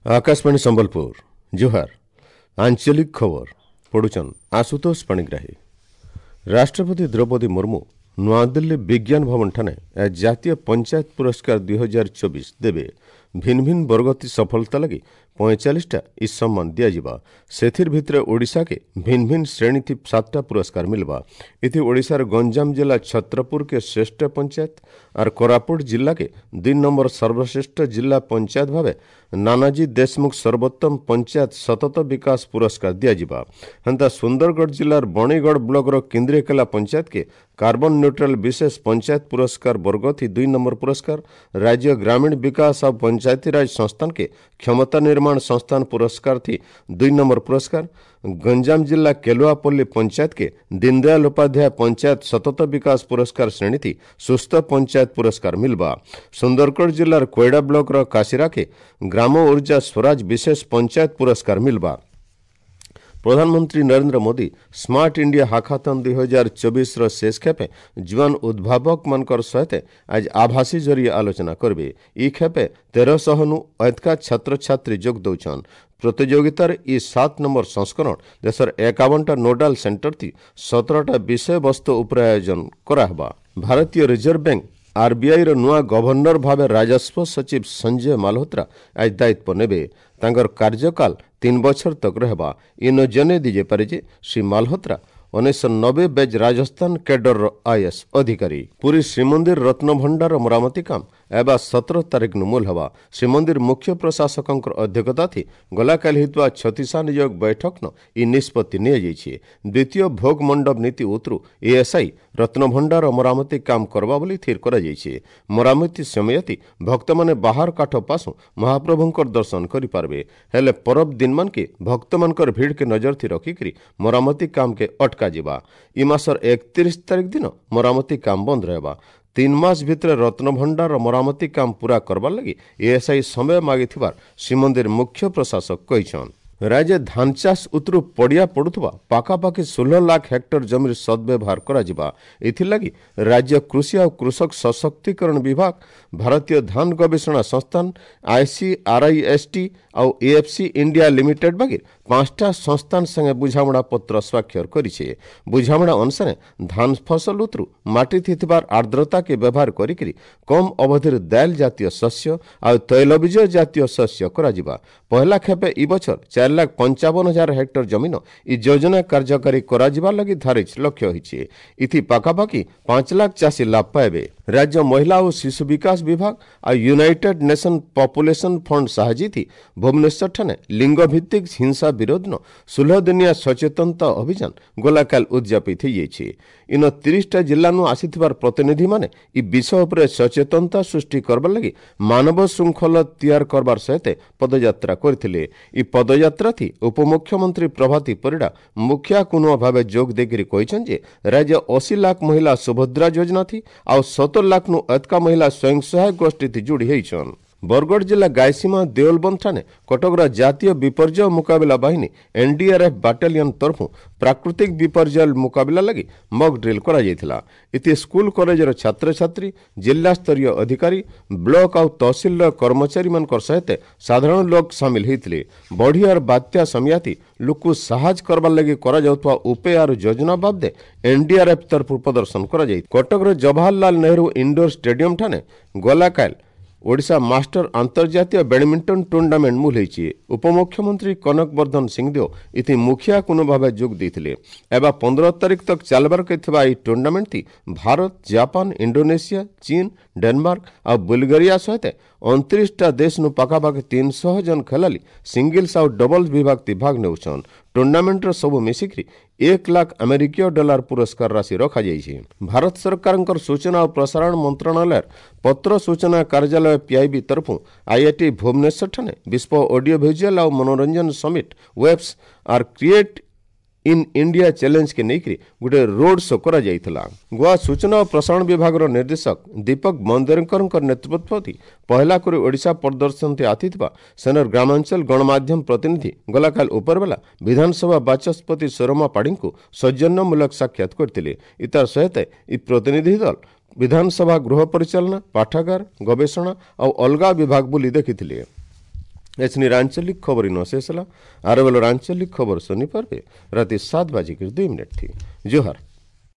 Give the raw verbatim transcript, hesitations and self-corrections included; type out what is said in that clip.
ଆକାଶବାଣୀ ସମ୍ବଲପୁର ଜୁହାର ଆଞ୍ଚଳିକ ଖବର ପଢୁଛନ୍ ଆଶୁତୋଷ ପାଣିଗ୍ରାହୀ ରାଷ୍ଟ୍ରପତି ଦ୍ରୌପଦୀ ମୁର୍ମୁ ନୂଆଦିଲ୍ଲୀ ବିଜ୍ଞାନ ଭବନଠାରେ ଜାତୀୟ ପଞ୍ଚାୟତ ପୁରସ୍କାର ଦୁଇ ହଜାର ଚବିଶ ଦେବେ ଭିନ୍ ଭିନ୍ ବର୍ଗତି ସଫଳତା ଲାଗି ପଇଁଚାଳିଶଟା ଇ ସମ୍ମାନ ଦିଆଯିବା ସେଥିର୍ ଭିତରେ ଓଡ଼ିଶାକେ ଭିନ୍ ଭିନ୍ ଶ୍ରେଣୀଥି ସାତଟା ପୁରସ୍କାର ମିଲବା ଏଥି ଓଡ଼ିଶାର ଗଞ୍ଜାମ ଜିଲ୍ଲା ଛତ୍ରପୁରକେ ଶ୍ରେଷ୍ଠ ପଞ୍ଚାୟତ ଆର୍ କୋରାପୁଟ ଜିଲ୍ଲାକେ ଦୁଇ ନମ୍ବର ସର୍ବଶ୍ରେଷ୍ଠ ଜିଲ୍ଲା ପଞ୍ଚାୟତ ଭାବେ ନାନାଜୀ ଦେଶମୁଖ ସର୍ବୋତ୍ତମ ପଞ୍ଚାୟତ ସତତ ବିକାଶ ପୁରସ୍କାର ଦିଆଯିବା ହେନ୍ତା ସୁନ୍ଦରଗଡ଼ ଜିଲ୍ଲାର ବଣିଗଡ଼ ବ୍ଲକର କେନ୍ଦ୍ରୀୟକେଲା ପଞ୍ଚାୟତକେ କାର୍ବନ ନ୍ୟୁଟ୍ରାଲ ବିଶେଷ ପଞ୍ଚାୟତ ପୁରସ୍କାର ବର୍ଗଥି ଦୁଇ ନମ୍ବର ପୁରସ୍କାର ରାଜ୍ୟ ଗ୍ରାମୀଣ ବିକାଶ ଆଉ ପଞ୍ଚାୟତିରାଜ ସଂସ୍ଥାନକେ କ୍ଷମତା ନିର୍ମାଣ ସଂସ୍ଥାନ ପୁରସ୍କାର ଥି ଦୁଇ ନମ୍ବର ପୁରସ୍କାର ଗଞ୍ଜାମ ଜିଲ୍ଲା କେଲୁଆପଲ୍ଲୀ ପଞ୍ଚାୟତକେ ଦୀନଦୟାଲ ଉପାଧ୍ୟାୟ ପଞ୍ଚାୟତ ସତତ ବିକାଶ ପୁରସ୍କାର ଶ୍ରେଣୀଥି ସୁସ୍ଥ ପଞ୍ଚାୟତ ପୁରସ୍କାର ମିଲବା ସୁନ୍ଦରଗଡ଼ ଜିଲ୍ଲାର କୋଇଡ଼ା ବ୍ଲକର କାଶିରାକେ ଗ୍ରାମ ଉର୍ଜା ସ୍ୱରାଜ ବିଶେଷ ପଞ୍ଚାୟତ ପୁରସ୍କାର ମିଲବା ପ୍ରଧାନମନ୍ତ୍ରୀ Narendra Modi smart India hackathon ଦୁଇ ହଜାର ଚବିଶର ଶେଷ ଖେପେ ଯୁଆନ ଉଦ୍ଭାବକମାନଙ୍କର ସହିତ ଆଜି ଆଭାସୀ ଜରିଏ ଆଲୋଚନା କରିବେ ଇ ଖେପେ ତେରଶହନୁ ଅଧିକା ଛାତ୍ରଛାତ୍ରୀ ଯୋଗ ଦେଉଛନ୍ ପ୍ରତିଯୋଗିତାର ଇ ସାତ ନମ୍ବର ସଂସ୍କରଣ ଦେଶର ଏକାବନଟା ନୋଡାଲ ସେଣ୍ଟର ଥି ସତରଟା ବିଷୟବସ୍ତୁ ଉପରେ ଆୟୋଜନ କରାହେବା ଭାରତୀୟ ରିଜର୍ଭ ବ୍ୟାଙ୍କ ଆର୍ବିଆଇର ନୂଆ ଗଭର୍ଣ୍ଣର ଭାବେ ରାଜସ୍ୱ ସଚିବ ସଞ୍ଜୟ ମାଲହୋତ୍ରା ଆଜି ଦାୟିତ୍ୱ ନେବେ ତାଙ୍କର କାର୍ଯ୍ୟକାଳ ତିନି ବଛର ତକ ରହିବା ଇନ ଜଣେଇ ଦିଆଯାଇପାରେ ଯେ ଶ୍ରୀ ମାଲହୋତ୍ରା ଉଣେଇଶହ ନବେ ବ୍ୟାଚ୍ ରାଜସ୍ଥାନ କ୍ୟାଡରର ଆଇଏଏସ୍ ଅଧିକାରୀ ପୁରୀ ଶ୍ରୀମନ୍ଦିର ରତ୍ନଭଣ୍ଡାର ମରାମତି କାମ ଏବା ସତର ତାରିଖ ନୁ ମୂଲ ହେବା ଶ୍ରୀମନ୍ଦିର ମୁଖ୍ୟ ପ୍ରଶାସକଙ୍କର ଅଧ୍ୟକ୍ଷତା ଥି ଗଲାକାଲି ହେଇଥିବା ଛତିଶା ନିଯୋଗ ବୈଠକନ ଇ ନିଷ୍ପତ୍ତି ନିଆଯାଇଛି ଦ୍ୱିତୀୟ ଭୋଗ ମଣ୍ଡପ ନୀତି ଉତରୁ ଏଏସ୍ଆଇ ରତ୍ନଭଣ୍ଡାର ମରାମତି କାମ କରବା ବୋଲି ସ୍ଥିର କରାଯାଇଛି ମରାମତି ସମୟତି ଭକ୍ତମାନେ ବାହାର କାଠ ପାଶୁ ମହାପ୍ରଭୁଙ୍କର ଦର୍ଶନ କରିପାରିବେ ହେଲେ ପରବ ଦିନମାନକେ ଭକ୍ତମାନଙ୍କର ଭିଡ଼କେ ନଜର ଥି ରଖିକରି ମରାମତି କାମକେ ଅଟକାଯିବା ଇ ମାସର ଏକତିରିଶ ତାରିଖ ଦିନ ମରାମତି କାମ ବନ୍ଦ ରହିବା ତିନି ମାସ ଭିତରେ ରତ୍ନଭଣ୍ଡାର ମରାମତି କାମ ପୂରା କରବାର୍ ଲାଗି ଏଏସ୍ଆଇ ସମୟ ମାଗିଥିବାର ଶ୍ରୀମନ୍ଦିର ମୁଖ୍ୟ ପ୍ରଶାସକ କହିଛନ୍ ରାଜ୍ୟ ଧାନ ଚାଷ ଉତରୁ ପଡ଼ିଆ ପଡୁଥିବା ପାଖାପାଖି ଷୋହଳ ଲାଖ ହେକ୍ଟର ଜମିର ସଦ୍ବ୍ୟବହାର କରାଯିବା ଏଥିଲାଗି ରାଜ୍ୟ କୃଷି ଆଉ କୃଷକ ସଶକ୍ତିକରଣ ବିଭାଗ ଭାରତୀୟ ଧାନ ଗବେଷଣା ସଂସ୍ଥାନ ଆଇସିଆର୍ଆଇଏସ୍ଟି ଆଉ ଏଏଫ୍ସି ଇଣ୍ଡିଆ ଲିମିଟେଡ୍ ବାଗିର ପାଞ୍ଚଟା ସଂସ୍ଥାନ ସାଙ୍ଗେ ବୁଝାମଣା ପତ୍ର ସ୍ୱାକ୍ଷର କରିছে ବୁଝାମଣା ଅନୁସାରେ ଧାନ ଫସଲ ଉତରୁ ମାଟି ଥିବାର ଆର୍ଦ୍ରତାକେ ବ୍ୟବହାର କରିକିରି କମ୍ ଅବଧିରେ ଦାଇଲ ଜାତୀୟ ଶସ୍ୟ ଆଉ ତୈଳବୀଜ ଜାତୀୟ ଶସ୍ୟ କରାଯିବା ପହିଲା ଖେପେ ଇ ବଛର ଚାରି ଲାଖ ପଞ୍ଚାବନ ହଜାର ହେକ୍ଟର ଜମିନ ଇ ଯୋଜନା କାର୍ଯ୍ୟକାରୀ କରାଯିବା ଲାଗି ଧାରିଛି ଲକ୍ଷ୍ୟ ହୋଇଛି ଇଥି ପାଖାପାଖି ପାଞ୍ଚ ଲାଖ ଚାଷୀ ଲାଭ ପାଇବେ ରାଜ୍ୟ ମହିଳା ଓ ଶିଶୁ ବିକାଶ ବିଭାଗ ଆଉ ୟୁନାଇଟେଡ୍ ନେସନ୍ ପପୁଲେସନ୍ ଫଣ୍ଡ ସାହାଯ୍ୟ ଭୁବନେଶ୍ୱରଠାରେ ଲିଙ୍ଗଭିତ୍ତିକ ହିଂସା ବିରୋଧନ ଷୋହଳ ଦିନିଆ ସଚେତନତା ଅଭିଯାନ ଗଲାକାଲ ଉଦଯାପିତ ହୋଇଯାଇଛି ଇନ ତିରିଶଟା ଜିଲ୍ଲାନୁ ଆସିଥିବାର ପ୍ରତିନିଧିମାନେ ଇ ବିଷୟ ଉପରେ ସଚେତନତା ସୃଷ୍ଟି କରବାର ଲାଗି ମାନବ ଶୃଙ୍ଖଳ ତିଆର କରବାର ସହିତ ପଦଯାତ୍ରା କରିଥିଲେ ଇ ପଦଯାତ୍ରା ଥି ଉପମୁଖ୍ୟମନ୍ତ୍ରୀ ପ୍ରଭାତୀ ପରିଡ଼ା ମୁଖିଆ କୁନୁଆ ଭାବେ ଯୋଗ ଦେଇକରି କହିଛନ୍ତି ଯେ ରାଜ୍ୟ ଅଶୀ ଲାଖ ମହିଳା ସୁଭଦ୍ରା ଯୋଜନା ଥି ଆଉ ସତର ଲାଖନୁ ଅଧିକା ମହିଳା ସ୍ୱୟଂ ସହାୟକ ଗୋଷ୍ଠୀ ଥି ଯୋଡ଼ି ହେଇଛନ୍ ବରଗଡ଼ ଜିଲ୍ଲା ଗାଇସୀମା ଦେଉଲବନ୍ଧଠାରେ କଟକର ଜାତୀୟ ବିପର୍ଯ୍ୟୟ ମୁକାବିଲା ବାହିନୀ ଏନ୍ଡିଆର୍ଏଫ୍ ବାଟାଲିୟନ ତରଫରୁ ପ୍ରାକୃତିକ ବିପର୍ଯ୍ୟୟ ମୁକାବିଲା ଲାଗି ମକ୍ ଡ୍ରିଲ୍ କରାଯାଇଥିଲା ଏଥି ସ୍କୁଲ କଲେଜର ଛାତ୍ରଛାତ୍ରୀ ଜିଲ୍ଲାସ୍ତରୀୟ ଅଧିକାରୀ ବ୍ଲକ ଆଉ ତହସିଲର କର୍ମଚାରୀମାନଙ୍କର ସହିତ ସାଧାରଣ ଲୋକ ସାମିଲ ହୋଇଥିଲେ ବଢ଼ି ଆର୍ ବାତ୍ୟା ସମୟାତି ଲୋକକୁ ସାହାଯ୍ୟ କରବାର ଲାଗି କରାଯାଉଥିବା ଉପାୟ ଆର୍ ଯୋଜନା ବାବଦେ ଏନ୍ଡିଆର୍ଏଫ୍ ତରଫରୁ ପ୍ରଦର୍ଶନ କରାଯାଇ କଟକର ଜବାହରଲାଲ ନେହେରୁ ଇଣ୍ଡୋର ଷ୍ଟାଡିୟମଠାରେ ଗଲାକାଲ ଓଡ଼ିଶା ମାଷ୍ଟର ଆନ୍ତର୍ଜାତୀୟ ବ୍ୟାଡମିଣ୍ଟନ ଟୁର୍ଣ୍ଣାମେଣ୍ଟ ମୂଲ ହୋଇଛି ଉପମୁଖ୍ୟମନ୍ତ୍ରୀ କନକ ବର୍ଦ୍ଧନ ସିଂଦେଓ ଏଥି ମୁଖିଆ କୁନୁ ଭାବେ ଯୋଗ ଦେଇଥିଲେ ଏବା ପନ୍ଦର ତାରିଖ ତକ ଚାଲବାର ଥିବା ଏହି ଟୁର୍ଣ୍ଣାମେଣ୍ଟଟି ଭାରତ ଜାପାନ ଇଣ୍ଡୋନେସିଆ ଚୀନ ଡେନମାର୍କ ଆଉ ବୁଲଗେରିଆ ସହିତ ଅଣତିରିଶଟା ଦେଶନୁ ପାଖାପାଖି ତିନିଶହ ଜଣ ଖେଳାଳି ସିଙ୍ଗଲ୍ସ ଆଉ ଡବଲ୍ସ ବିଭାଗ ଭାଗ ନେଉଛନ୍ ଟୁର୍ଣ୍ଣାମେଣ୍ଟର ସବୁ ମିଶିକରି ଏକ ଲାଖ ଆମେରିକୀୟ ଡଲାର ପୁରସ୍କାର ରାଶି ରଖାଯାଇଛି ଭାରତ ସରକାରଙ୍କର ସୂଚନା ଓ ପ୍ରସାରଣ ମନ୍ତ୍ରଣାଳୟର ପତ୍ର ସୂଚନା କାର୍ଯ୍ୟାଳୟ ପିଆଇବି ତରଫରୁ ଆଇଆଇଟି ଭୁବନେଶ୍ୱରଠାରେ ବିଶ୍ୱ ଅଡିଓ ଭିଜୁଆଲ ଆଉ ମନୋରଞ୍ଜନ ସମିଟ୍ ୱେବ୍ସ ଆର୍ କ୍ରିଏଟ୍ ଇନ୍ ଇଣ୍ଡିଆ ଚ୍ୟାଲେଞ୍ଜକେ ନେଇକରି ଗୋଟେ ରୋଡ୍ ଶୋ କରାଯାଇଥିଲା ଗୋଆ ସୂଚନା ଓ ପ୍ରସାରଣ ବିଭାଗର ନିର୍ଦ୍ଦେଶକ ଦୀପକ ମନ୍ଦେରକରଙ୍କ ନେତୃତ୍ୱରେ ପହିଲା କରି ଓଡ଼ିଶା ପ୍ରଦର୍ଶନୀ ଆସିଥିବା ସେନର ଗ୍ରାମାଞ୍ଚଳ ଗଣମାଧ୍ୟମ ପ୍ରତିନିଧି ଗଲାକାଲ ଉପରବେଲା ବିଧାନସଭା ବାଚସ୍ପତି ସୁରମା ପାଢ଼ୀଙ୍କୁ ସୌଜନ୍ୟମୂଳକ ସାକ୍ଷାତ କରିଥିଲେ ଇତାର ସହିତ ଇ ପ୍ରତିନିଧି ଦଳ ବିଧାନସଭା ଗୃହ ପରିଚାଳନା ପାଠାଗାର ଗବେଷଣା ଆଉ ଅଲଗା ବିଭାଗ ବୁଲି ଦେଖିଥିଲେ ଏଛିନିର ଆଞ୍ଚଳିକ ଖବର ଇନ ଶେଷ ହେଲା। ଆର ବେଲର ଆଞ୍ଚଳିକ ଖବର ଶୁନି ପାରବେ ରାତି ସାତ ବାଜିକରି ଦୁଇ ମିନିଟ୍ ଥି। ଜୁହାର।